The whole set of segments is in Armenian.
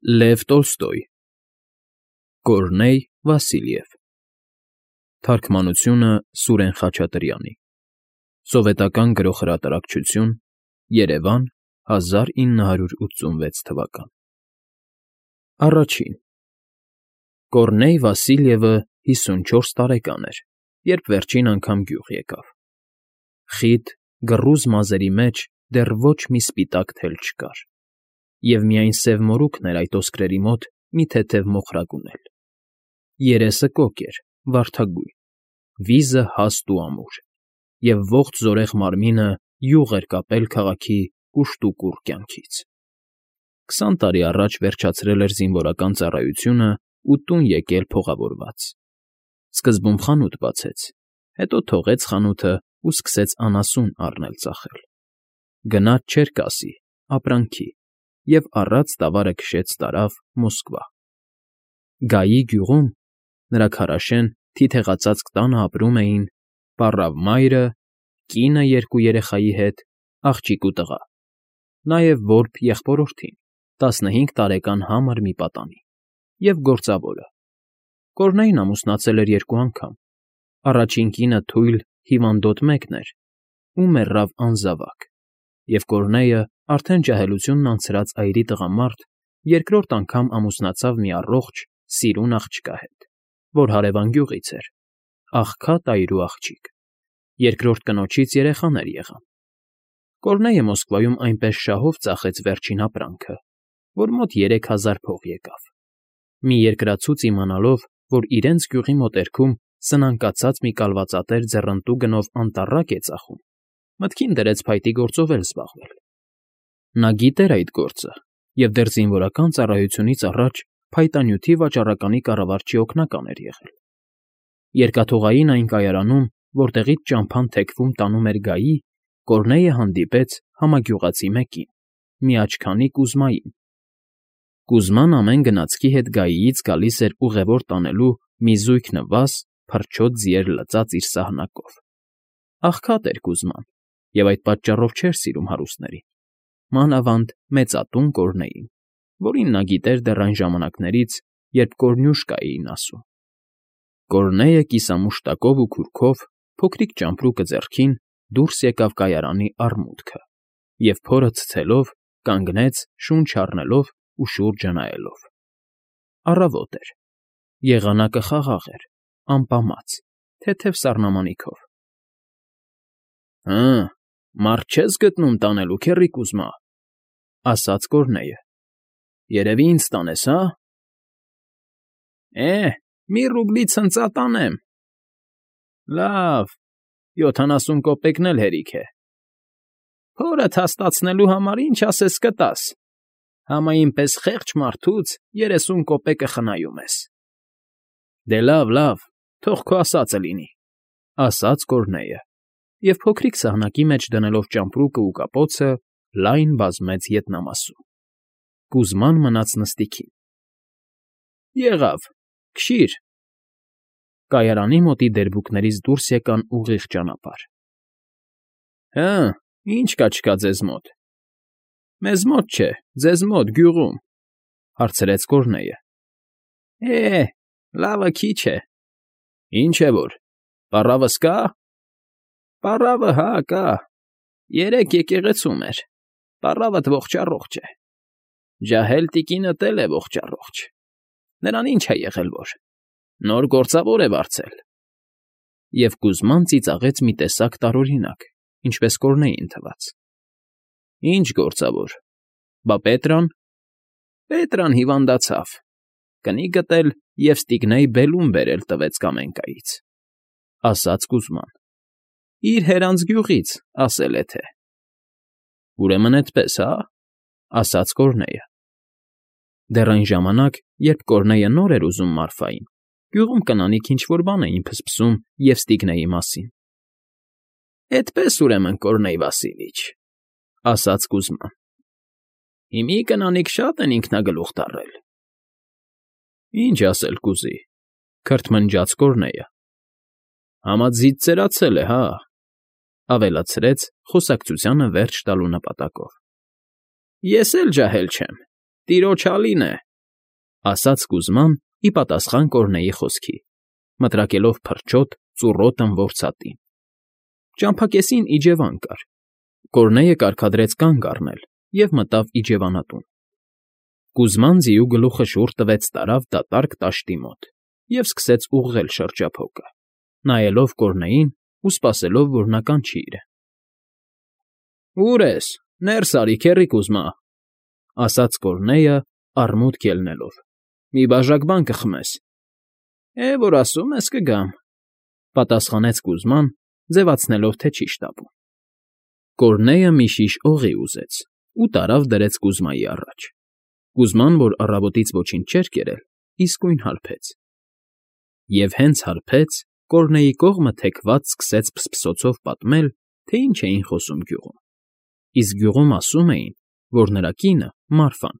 Լև Տոլստոյ Կորնեյ Վասիլև Թարգմանությունը Սուրեն Խաչատրյանի Սովետական գրողհրատարակչություն Երևան 1986 թվական Առաջին Կորնեյ Վասիլևը 54 տարեկան էր, երբ վերջին անգամ գյուղ եկավ։ Խիտ, գռուզ մազերի մեջ դեռ ոչ մի սպիտակ թել չկար, և միայն սև մորուքն էր այդ ոսկրերի մոտ մի թեթև մոխրակ ունել։ Երեսը կոկ էր, վարդագույն, վիզը հաստ ու ամուր, և ողջ զորեղ մարմինը յուղ էր կապել քաղաքի կուշտուկուռ կյանքից։ 20 տարի առաջ վերջացրել էր զինվորական ծառայությունը ու տուն եկել փողավորված։ Սկզբում խանութ բացեց, հետո թողեց խանութը ու սկսեց անասուն առնել֊ծախել։ Գնաց Չերկասի, ապրանքի, և առած տավարը քշեց տարավ Մոսկվա։ Գայի գյուղում, նրա քարաշեն, թիթեղածածկ տանը ապրում էին պառավ մայրը, կինը երկու երեխայի հետ, աղջիկ ու տղա, նաև որբ եղբորորդին, 15 տարեկան համր մի պատանի, և գործավորը։ Կորնեյն ամուսնացել էր 2 անգամ։ Առաջին կինը թույլ, հիվանդոտ մեկն էր ու մեռավ անզավակ, և Կորնեյը, արդեն ջահելությունն անցրած այրի տղամարդ, երկրորդ անգամ ամուսնացավ մի առողջ, սիրուն աղջկա հետ, որ հարևան գյուղից էր, աղքատ այրու աղջիկ։ Երկրորդ կնոջից երեխաներ եղան։ Կորնեյը Մոսկվայում այնպես շահով ծախեց վերջին ապրանքը, որ մոտ 3000 փող եկավ։ Մի երկրացուց իմանալով, որ իրենց գյուղի մոտերքում սնանկացած մի կալվածատեր ձեռնտու գնով անտառակ է ծախում, մտքին դրեց փայտի գործով էլ զբաղվել։ Նա գիտեր այդ գործը և դեռ զինվորական ծառայությունից առաջ փայտանյութի վաճառականի կառավարչի օգնական էր եղել։ Երկաթուղային այն կայարանում, որտեղից ճամփան թեքվում տանում էր գայի, Կորնեյը հանդիպեց համագյուղացի մեկին, մի աչքանի Կուզմային։ Կուզման ամեն գնացքի հետ գայիից գալիս էր ուղևոր տանելու մի զույգ նվազ, փրչոտ ձիեր լծած իր սահնակով։ Աղքատ էր Կուզման, և այդ պատճառով չէր սիրում հարուստներին, մանավանդ մեծատուն Կորնեյին, որին նա գիտեր դեռ այն ժամանակներից, երբ Կորնյուշկա էին ասում։ Կորնեյը կիսամուշտակով ու քուրքով, փոքրիկ ճամպրուկը ձեռքին, դուրս եկավ կայարանի առմուտքը և փորը ցցելով կանգնեց, շունչ առնելով ու շուրջը նայելով։ Առավոտ էր։ Եղանակը խաղաղ էր, ամպամած, թեթև սառնամանիքով։ «Հը, մարդ չես գտնում տանելու, քեռի Կուզմա,֊ ասաց Կորնեյը։֊ Երևի ինձ տանես, հա՞։ Մի ռուբլի ցնծա տանեմ։ Լավ, 70 կոպեկն էլ հերիք է։ Փորդ հաստատցնելու համար ինչ ասես կտաս։ Համային պես խեղճ մարդուց 30 կոպեկը խնայում ես։ Դե լավ, թող քո ասածը լինի, ասաց Կորնեյը, և փոքրիկ սահնակի մեջ դնելով ճամպրուկը ու կապոցը, լայն բազմեց ետնամասում։ Կուզման մնաց նստիքին։ Եղավ, քշիր։ Կայարանի մոտի դերբուկներից դուրս եկան ուղիղ ճանապարհ։ Հը, ինչ կա ձեզ մոտ։ Մեզ մոտ չէ, ձեզ մոտ, գյուղում, հարցրեց Կորնեյը։ Լավը քիչ է։ Ինչ է որ, պառավս կա։ Պառավը, հա, կա։ 3 եկեղեցում էր, պառավդ ողջ֊առողջ է։ Ջահել տիկինդ էլ է ողջ֊առողջ։ Նրան ինչ է եղել որ, նոր գործավոր է վարձել։ Եվ Կուզման ծիծաղեց մի տեսակ տարօրինակ, ինչպես Կորնեյին թվաց։ Ինչ գործավոր։ Բա Պետրան։ Պետրան հիվանդացավ։ Կնիկդ էլ Եվստիգնեյ բելուն բերել տվեց Կամենկայից, ասաց Կուզման։ Իր հերանց գյուղից, ասել է թե։ Ուրեմն էդպես, հա՞, ասաց Կորնեյը։ Դեռ այն ժամանակ, երբ Կորնեյը նոր էր ուզում Մարֆային, գյուղում կնանիք ինչ֊որ բան էին փսփսում Եվստիգնեյի մասին։ Էդպես, ուրեմն, Կորնեյ Վասիլիչ, ասաց Կուզման։ Հիմի կնանիք շատ են ինքնագլուխ տառել։ Ինչ ասել կուզի, քրթմնջաց Կորնեյը։ Համաձիծ ծերացել է, հա, ավելացրեց խոսակցությանը վերջ տալու նպատակով։ Ես էլ ջահել չեմ, տիրոջ հալին է, ասաց Կուզման ի պատասխան Կորնեի խոսքի, մտրակելով փրչոտ ծուռոտ ըմբորցատին։ Ճամփակեսին իջևան կար։ Կորնեյը կարգադրեց կանգ առնել և մտավ իջևանատուն։ Կուզման ձիու գլուխը շուռ տվեց տարավ դատարկ տաշտի մոտ և սկսեց ուղղել շրջափոկը, նայելով Կորնեյին ու սպասելով, որ նա կանչի իրեն։ «Ո՞ւր ես, ներս արի, քեռի Կուզմա», ասաց Կորնեյը արմունկ ելնելով։ «Մի բաժակ բան կխմես»։ Որ ասում ես, կգամ», պատասխանեց Կուզման, ձևացնելով, թե չի շտապում։ Կորնեյը մի շիշ օղի ուզեց ու տարավ դրեց Կուզմայի առաջ։ Կուզման, որ առավոտից ոչինչ չէր կերել, իսկույն հարբեց։ Եվ հենց հարբեց, Կորնեյի կողմը թեքված սկսեց փսփսոցով պատմել, թե ինչ էին խոսում գյուղում։ Իսկ գյուղում ասում էին, որ նրա կինը՝ Մարֆան,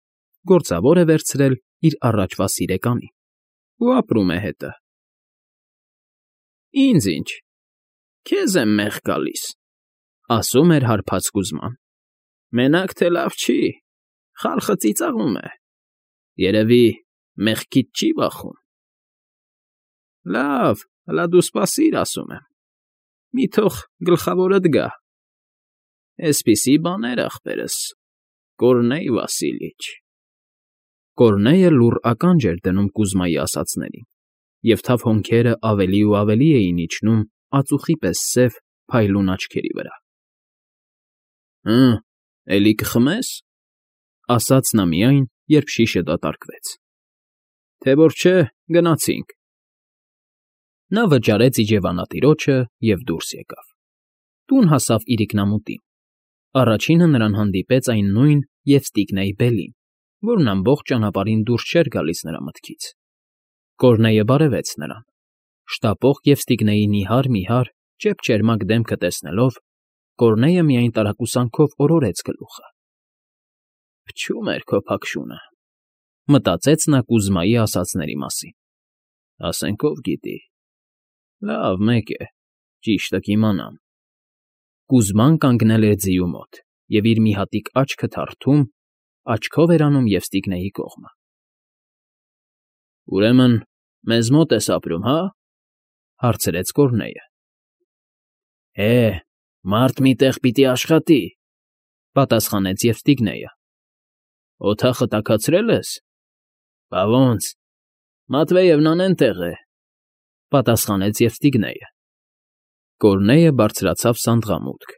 գործավոր է վերցրել իր առաջվա սիրեկանին ու ապրում է հետը։ «Ինձ ինչ, քեզ եմ մեղ գալիս», ասում էր հարբած Կուզման։ «Մենակ թե լավ չի, խալխը ծիծաղում է, երևի մեղքիդ չի վախում»։ «Լավ, հլա դու սպասիր, ասում եմ, մի թող գլխավորդ գա։ Էսպիսի բաներ, ախպերս, Կորնեյ Վասիլիչ»։ Կորնեյը լուռ ականջ էր դնում Կուզմայի ասածներին, և թավ հոնքերը ավելի ու ավելի էին իջնում ածուխի պես սև, փայլուն աչքերի վրա։ Էլի կխմես, ասաց նա միայն, երբ շիշը դատարկվեց։ Թե որ չէ, գնացինք։ Նա վճարեց իջևանատիրոջը և դուրս եկավ։ Տուն հասավ իրիկնամուտին։ Առաջինը նրան հանդիպեց այն նույն Եվստիգնեյ Բելին, որն ամբողջ ճանապարհին դուրս չէր գալիս նրա մտքից։ Կորնեյը բարևեց նրան։ Շտապող Եվստիգնեյի նիհար, ճեպճերմակ դեմքը տեսնելով, Կորնեյը միայն տարակուսանքով օրորեց գլուխը։ «Փչում էր քո փաքշունը», մտածեց նա Կուզմայի ասածների մասին։ «Ասենք ով գիտի։ Լավ, մեկ է, ճիշտը կիմանամ»։ Կուզման կանգնել էր ձիու մոտ և իր մի հատիկ աչքը թարթում, աչքով էր անում Եվստիգնեյի կողմը։ «Ուրեմն մեզ մոտ ես ապրում, հա՞, հարցրեց Կորնեյը։ Մարդ մի տեղ պիտի աշխատի», պատասխանեց Եվստիգնեյը։ «Օդախը տաքացրել ես»։ «Բա ոնց, Մատվեևնան էնտեղ է», պատասխանեց Եվստիգնեյը։ Կորնեյը բարձրացավ սանդղամուտք։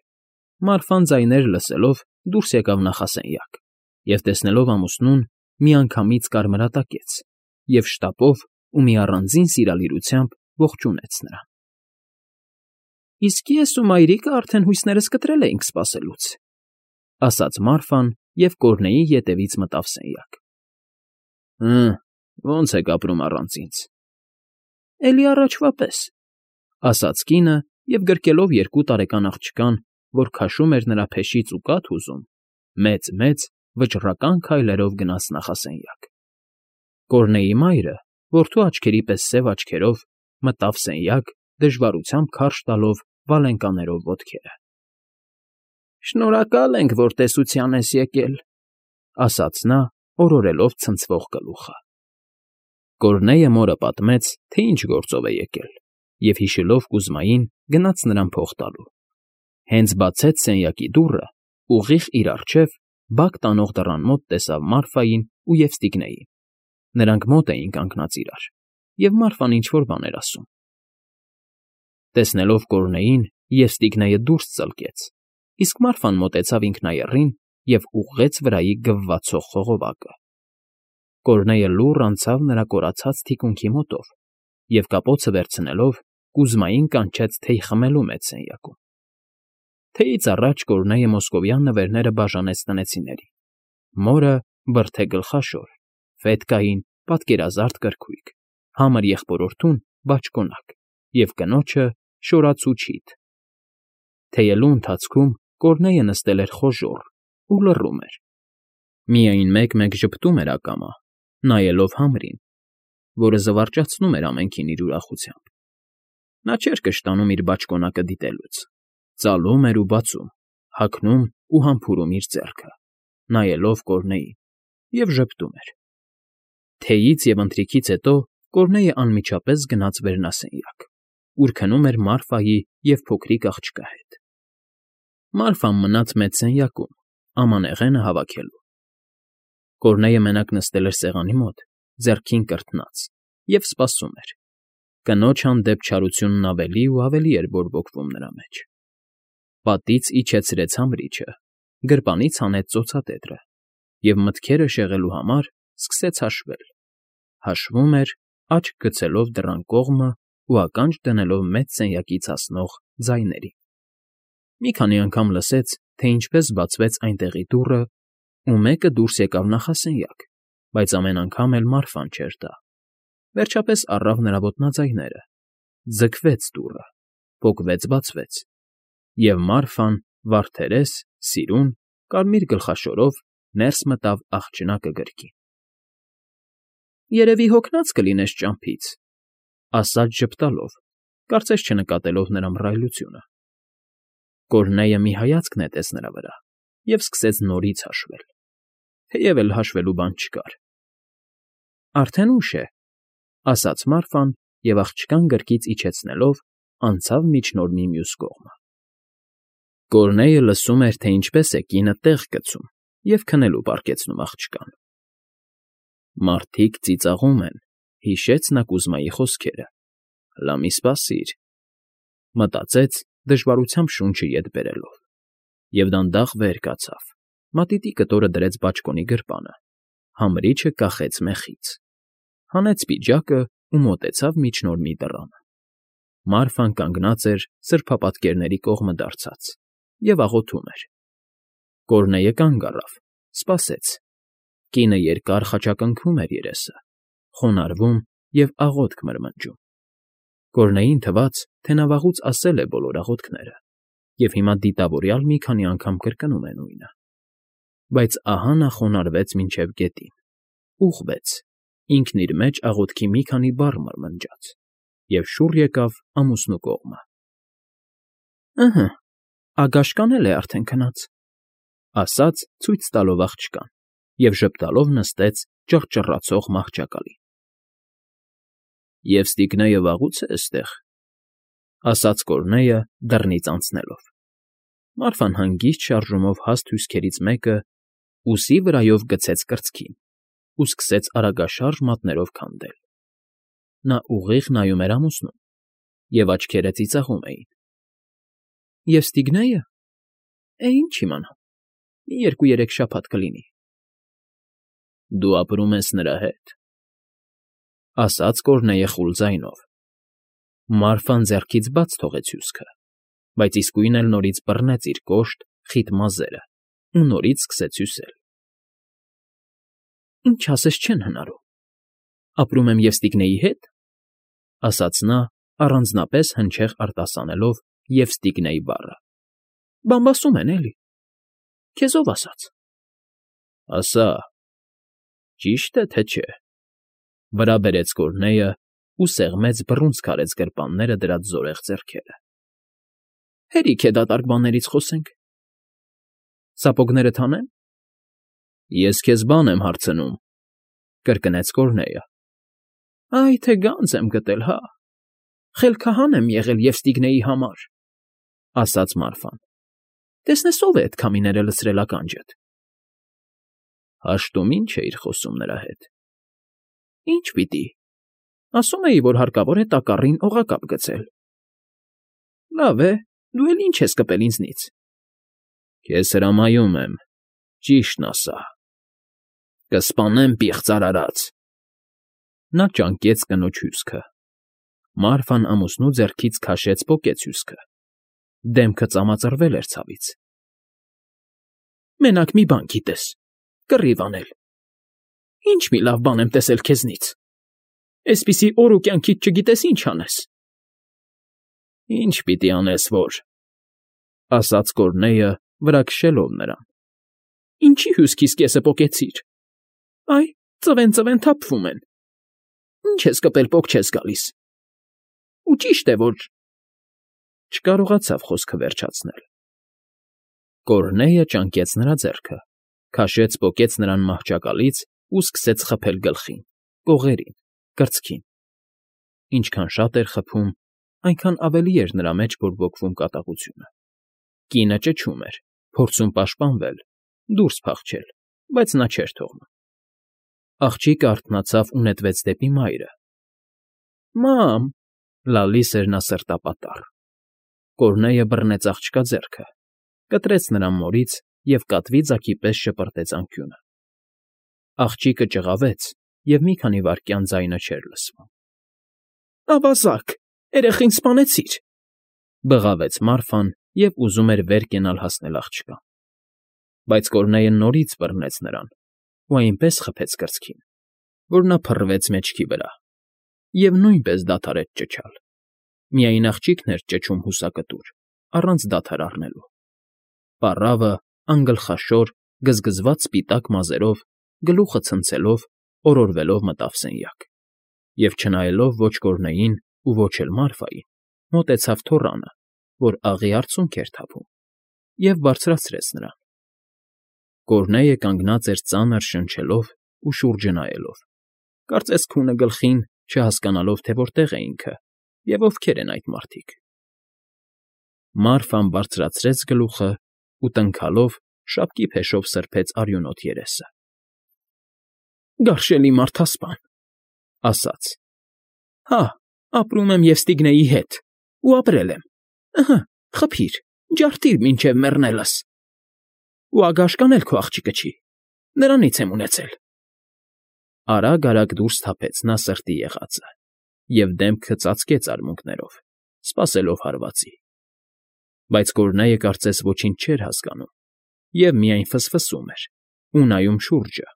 Մարֆան ձայներ լսելով դուրս եկավ նախասենյակ և, տեսնելով ամուսնուն, միանգամից կարմրատակեց և շտապով ու մի առանձին սիրալիրությամբ ողջունեց նրան։ «Իսկ ես ու մայրիկը արդեն հույսներս կտրել էինք սպասելուց», ասաց Մարֆան և Կորնեյի ետևից մտավ սենյակ։ Ոնց եք ապրում առանց ինձ։ Էլի առաջվա պես, ասաց կինը և գրկելով 2 տարեկան աղջկան, որ քաշում էր նրա փեշից ու կաթ ուզում, մեծ, վճռական քայլերով գնաց նախասենյակ։ Կորնեյի մայրը, որդու աչքերի պես սև աչքերով, մտավ սենյակ, դժվարությամբ քարշ տալով վալենկաներով ոտքերը։ «Շնորհակալ ենք, որ տեսության ես եկել», ասաց նա, օրորելով ցնցվող գլուխը։ Կորնեյը մորը պատմեց, թե ինչ գործով է եկել, և հիշելով Կուզմային, գնաց նրան փող տալու։ Հենց բացեց սենյակի դուռը, ուղիղ իր առջև, բակ տանող դռան մոտ տեսավ Մարֆային ու Եվստիգնեյին։ Նրանք մոտ էին կանգնած իրար, և Մարֆան ինչ֊որ բան էր ասում։ Տեսնելով Կորնեյին, Եվստիգնեյը դուրս ծլկեց, իսկ Մարֆան մոտեցավ ինքնայեռին և ուղղեց վրայի գվվացող խողովակը։ Կորնեյը լուռ անցավ նրա կորացած թիկունքի մոտով և, կապոցը վերցնելով, Կուզմային կանչեց թեյ խմելու մեծ սենյակում։ Թեյից առաջ Կորնեյը մոսկովյան նվերները բաժանեց տնեցիներին։ Մորը բրդե գլխաշոր, ֆետկային, պատկերազարդ կրքույկ, համր եղբորորդուն բաճկոնակ և կնոջը շորացու չիթ։ Թեյելու ընթացքում Կորնեյը նստել էր խոժոռ ու լռում էր։ Միայն մեկ-մեկ ժպտում էր ակամա, նայելով համրին, որը զվարճացնում էր ամենքին իր ուրախությամբ։ Նա չէր կշտանում իր բաճկոնակը դիտելուց, ծալում էր ու բացում, հագնում ու համբուրում իր ձեռքը, նայելով Կորնեյին, և ժպտում էր։ Թեյից և ընթրիքից հետո Կորնեյը անմիջապես գնաց վերնասենյակ, ուր քնում էր Մարֆայի և փոքրիկ աղջկա հետ։ Մարֆան մնաց մեծ սենյակում, ամանեղենը հավաքելու։ Կորնեյը մենակ նստել էր սեղանի մոտ, ձեռքին կրթնած, և սպասում էր։ Կնոջ հանդեպ չարությունն ավելի ու ավելի էր բորբոքվում նրա մեջ։ Պատից իջեցրեց համրիչը, գրպանից հանեց ծոցատետրը և մտքերը շեղելու համար սկսեց հաշվել։ Հաշվում էր, աչք գցելով դռան կողմը ու ականջ դնելով մեծ սենյակից հասնող ձայներին։ Մի քանի անգամ լսեց, թե ինչպես բացվեց այնտեղի դուռը, ու մեկը դուրս եկավ նախասենյակ, բայց ամեն անգամ էլ Մարֆան չէր դա։ Վերջապես առավ նրա ոտնաձայները, ձգվեց դուռը, պոկվեց֊բացվեց, և Մարֆան, վարդերես, սիրուն, կարմիր գլխաշորով ներս մտավ աղջնակը գրկին։ «Երևի հոգնած կլինես ճամփից», ասաց ժպտալով, կարծես չնկատելով նրա մռայլությունը։ Կորնեյը մի հայացք նետեց նրա վրա և սկսեց նորից հաշվել, թեև էլ հաշվելու բան չկար։ «Արդեն ուշ է», ասաց Մարֆան և աղջկան գրկից իջեցնելով անցավ միջնորմի մյուս կողմը։ Կորնեյը լսում էր, թե ինչպես է կինը տեղ գցում և քնելու պառկեցնում աղջկան։ «Մարդիկ ծիծաղում են», հիշեց նա Կուզմայի խոսքերը։ «Հլա մի սպասիր», մտածեց, դժվարությամբ շունչը ետ բերելով, և դանդաղ վեր կացավ, մատիտի կտորը դրեց բաճկոնի գրպանը, համրիչը կախեց մեխից, հանեց պիջակը ու մոտեցավ միջնորմի դռանը։ Մարֆան կանգնած էր սրբապատկերների կողմը դարձած և աղոթում էր։ Կորնեյը կանգ առավ, սպասեց։ Կինը երկար խաչակնքում էր երեսը, խոնարհվում և աղոթք մրմնջում։ Կորնեյին թվաց, թե նա վաղուց ասել է բոլոր աղոթքները, և հիմա դիտավորյալ մի քանի անգամ կրկնում է նույնը։ Բայց ահա նա խոնարհվեց մինչև գետին, ուղղվեց, ինքն իր մեջ աղոթքի մի քանի բառ մրմնջաց և շուռ եկավ ամուսնու կողմը։ «Ըհը, ագաշկան էլ է արդեն քնած», ասաց, ցույց տալով աղջկան, և ժպտալով նստեց ճռճռացող մահճակալին։ «Եվ Ստիգնեյը վաղուց է էստեղ», ասաց Կորնեյը դռնից անցնելով։ Մարֆան հանգիստ շարժումով հաստ հյուսքերից մեկը ուսի վրայով գցեց կրծքին ու սկսեց արագաշարժ մատներով քանդել։ Նա ուղիղ նայում էր ամուսնուն, և աչքերը ծիծաղում էին։ «Եվ Ստիգնեյը… ինչ իմանամ, մի 2-3 շաբաթ կլինի»։ «Դու ապրում ես նրա հետ», ասաց Կորնեյը խուլ ձայնով։ Մարֆան ձեռքից բաց թողեց հյուսքը, բայց իսկույն էլ նորից բռնեց իր կոշտ, խիտ մազերը ու նորից սկսեց հյուսել։ «Ինչ ասես չեն հնարում։ Ապրում եմ և Ստիգնեյի հետ», ասաց նա, առանձնապես հնչեղ արտասանելով «և Ստիգնեյ» բառը։ «Բամբասում են, էլի։ Քեզ ով ասաց»։ «Ասա, ճի՞շտ է, թե չէ», վրա բերեց Կորնեյը ու սեղմեց բռունցք արեց գրպանները դրած զորեղ ձեռքերը։ «Հերիք է դատարկ բաներից խոսենք։ Սապոգներդ հանե՞մ»։ «Ես քեզ բան եմ հարցնում», կրկնեց Կորնեյը։ «Այ թե գանձ եմ գտել, հա։ Խելքահան եմ եղել և Ստիգնեյի համար», ասաց Մարֆան։ «Տեսնես ով է էդ քամիները լցրել ականջդ»։ «Հաշտում ի՞նչ էիր խոսում նրա հետ»։ «Ինչ պիտի։ Ասում էի, որ հարկավոր է տակառին օղակապ գցել»։ «Լավ է, դու էլ ինչ ես կպել ինձնից»։ «Քեզ հրամայում եմ, ճիշտն ասա»։ «Կսպանեմ, պիղծ արարած»։ Նա ճանկեց կնոջ հյուսքը։ Մարֆան ամուսնու ձեռքից քաշեց պոկեց հյուսքը։ Դեմքը ծամածրվել էր ցավից։ «Մենակ մի բան գիտես՝ կռիվ անել։ Ինչ մի լավ բան եմ տեսել քեզնից։ Էսպիսի օր ու կյանքիդ չգիտես ինչ անես»։ «Ինչ պիտի անես, որ…», ասաց Կորնեյը, վրա քշելով նրան։ «Ինչի հյուսքիս կեսը պոկեցիր։ Այ, ծվեն թափվում են։ Ինչ ես կպել, պոկ չես գալիս։ Ու ճիշտ է, որ…» Չկարողացավ խոսքը վերջացնել։ Կորնեյը ճանկեց նրա ձեռքը, քաշեց֊պոկեց նրան մահճակալից ու սկսեց խփել գլխին, կողերին, կրծքին։ Ինչքան շատ էր խփում, այնքան ավելի էր նրա մեջ բորբոքվում կատաղությունը։ Կինը ճչում էր, փորձում պաշտպանվել, դուրս փախչել, բայց նա չէր թողնում։ Աղջիկը արթնացավ ու նետվեց դեպի մայրը։ Մամ, լալիս էր նա սրտապատառ։ Կորնեյը բռնեց աղջկա ձեռքը, կտրեց նրան մորից և կատվի ձագի պես շպրտեց անկյունը։ Աղջիկը ճղավեց, և մի քանի վայրկյան ձայնը չէր լսվում։ Ավազակ, երեխին սպանեցիր, բղավեց Մարֆան և ուզում էր վեր կենալ հասնել աղջկան։ Բայց Կորնեյը նորից բռնեց նրան ու այնպես խփեց կրծքին, որ նա փռվեց մեջքի վրա և նույնպես դադարեց ճչալ։ Միայն աղջիկն էր ճչում հուսակտուր, առանց դադար առնելու։ Պառավը, անգլխաշոր, գզգզված սպիտակ մազերով, գլուխը ցնցելով, օրորվելով մտավ սենյակ և, չնայելով ոչ Կորնեյին ու ոչ էլ Մարֆային, մոտեցավ թոռանը, որ աղի արցունք էր թափում, և բարձրացրեց նրան։ Կորնեյը կանգնած էր ծանր շնչելով ու շուրջը նայելով, կարծես քունը գլխին, չհասկանալով, թե որտեղ է ինքը և ովքեր են այդ մարդիկ։ Մարֆան բարձրացրեց գլուխը ու տնքալով շապկի փեշով սրբեց արյունոտ երեսը։ Գարշելի մարդասպան, ասաց. Հա, ապրում եմ Եվստիգնեյի հետ ու ապրել եմ։ Ըհը, խփիր, ջարդիր մինչև մեռնելս։ Ու Ագաշկան էլ քո աղջիկը չի, նրանից եմ ունեցել։ Արագ դուրս թափեց նա սրտի եղածը և դեմքը ծածկեց արմունկներով, սպասելով հարվածի։ Բայց Կորնեյը կարծես ոչինչ չէր հասկանում և միայն ֆսֆսում էր ու նայում շուրջը։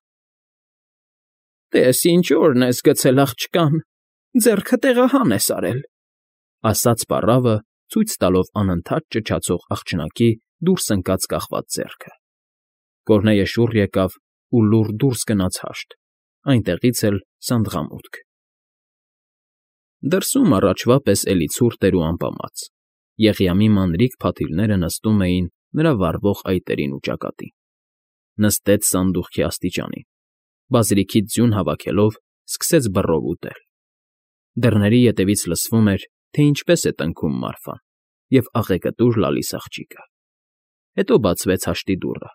Տես ինչ օրն ես գցել աղջկան, ձեռքը տեղահան ես արել, ասաց պառավը, ցույց տալով անընդհատ ճչացող աղջնակի դուրս ընկած կախված ձեռքը։ Կորնեյը շուռ եկավ ու լուռ դուրս գնաց հաշտ, այնտեղից էլ սանդղամուտք։ Դրսում առաջվա պես էլի ցուրտ էր ու ամպամած, Եղիամի մանրիկ փաթիլները նստում էին նրա վառվող այտերին ու ճակատին։ Նստեց սանդուղքի աստիճանին, բազրիքից ձյուն հավաքելով, սկսեց բռով ուտել։ Դռների ետևից լսվում էր, թե ինչպես է տնքում Մարֆան և աղեկտուր լալիս աղջիկը։ Հետո բացվեց հաշտի դուռը,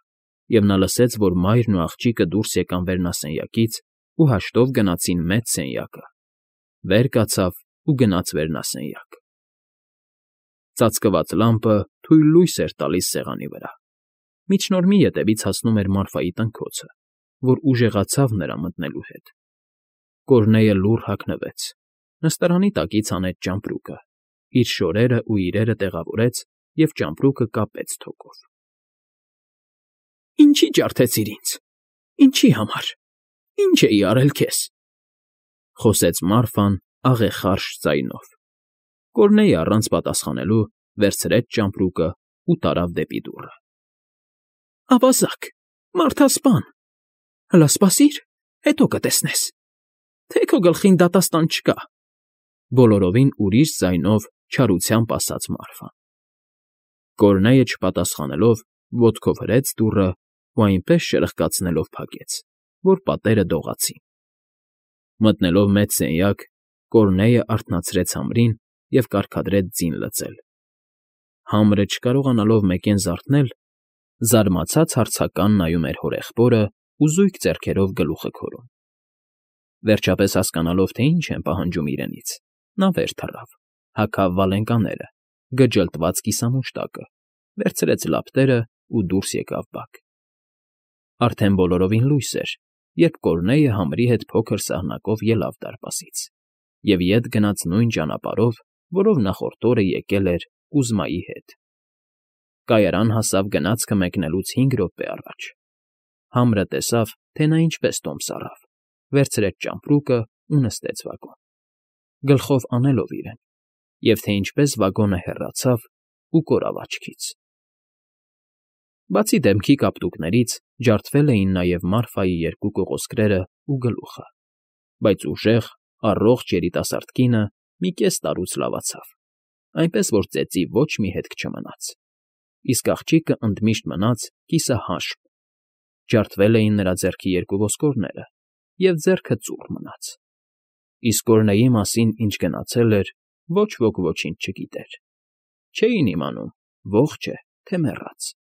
և նա լսեց, որ մայրն ու աղջիկը դուրս եկան վերնասենյակից ու հաշտով գնացին մեծ սենյակը, վեր կացավ ու գնաց վերնասենյակ։ Ծածկված լամպը թույլ լույս էր տալիս սեղանի վրա։ Միջնորմի ետևից հասնում էր Մարֆայի տնքոցը, որ ուժեղացավ նրա մտնելու հետ։ Կորնեյը լուռ հագնվեց, նստարանի տակից հանեց ճամպրուկը, իր շորերն ու իրերը տեղավորեց և ճամպրուկը կապեց թոկով։ Ինչի՞ ջարդեցիր ինձ, ինչի՞ համար, ինչ էի արել քեզ, խոսեց Մարֆան աղեխարշ ձայնով։ Կորնեյը առանց պատասխանելու վերցրեց ճամպրուկը ու տարավ դեպի դուռը։ Ավազակ, մարդասպան, հլա սպասիր, հետո կտեսնես, թե քո գլխին դատաստան չկա, բոլորովին ուրիշ ձայնով չարությամբ ասաց Մարֆան։ Կորնեյը չպատասխանելով ոտքով հրեց դուռը ու այնպես շրխկացնելով փակեց, որ պատերը դողացին։ Մտնելով մեծ սենյակ, Կորնեյը արթնացրեց համրին և կարգադրեց ձին լցել։ Համրը չկարողանալով մեկեն զարթնել, զարմացած հարցական նայում էր հորեղբորը ու զույգ ձեռքերով գլուխը քորում։ Վերջապես հասկանալով, թե ինչ են պահանջում իրենից, նա վեր թռավ, հագավ վալենկաները, գջլտված կիսամուշտակը, վերցրեց լապտերն ու դուրս եկավ բակ։ Արդեն բոլորովին լույս էր, երբ Կորնեյը համրի հետ փոքր սահնակով ելավ դարպասից և ետ գնաց նույն ճանապարհով, որով նախորդ օրը եկել էր Կուզմայի հետ։ Կայարան հասավ գնացքը մեկնելուց 5 րոպե առաջ։ Համրը տեսավ, թե նա ինչպես տոմս առավ, վերցրեց ճամպրուկը ու նստեց վագոն, գլխով անելով իրեն, և թե ինչպես վագոնը հեռացավ ու կորավ աչքից։ Բացի դեմքի կապտուկներից ջարդվել էին նաև Մարֆայի երկու կողոսկրերն ու գլուխը, բայց ուժեղ, առողջ երիտասարդ կինը մի կես տարուց լավացավ, այնպես որ ծեծի ոչ մի հետք չմնաց, իսկ աղջիկը ընդմիշտ մնաց կիսահաշվ, ջարդվել էին նրա ձեռքի երկու ոսկորները, և ձեռքը ծուռ մնաց։ իսկ Օրնեի մասին ինչ գնացել էր, ոչ ոք ոչինչ չգիտեր. չէին իմանում ողջ է, թե մեռած։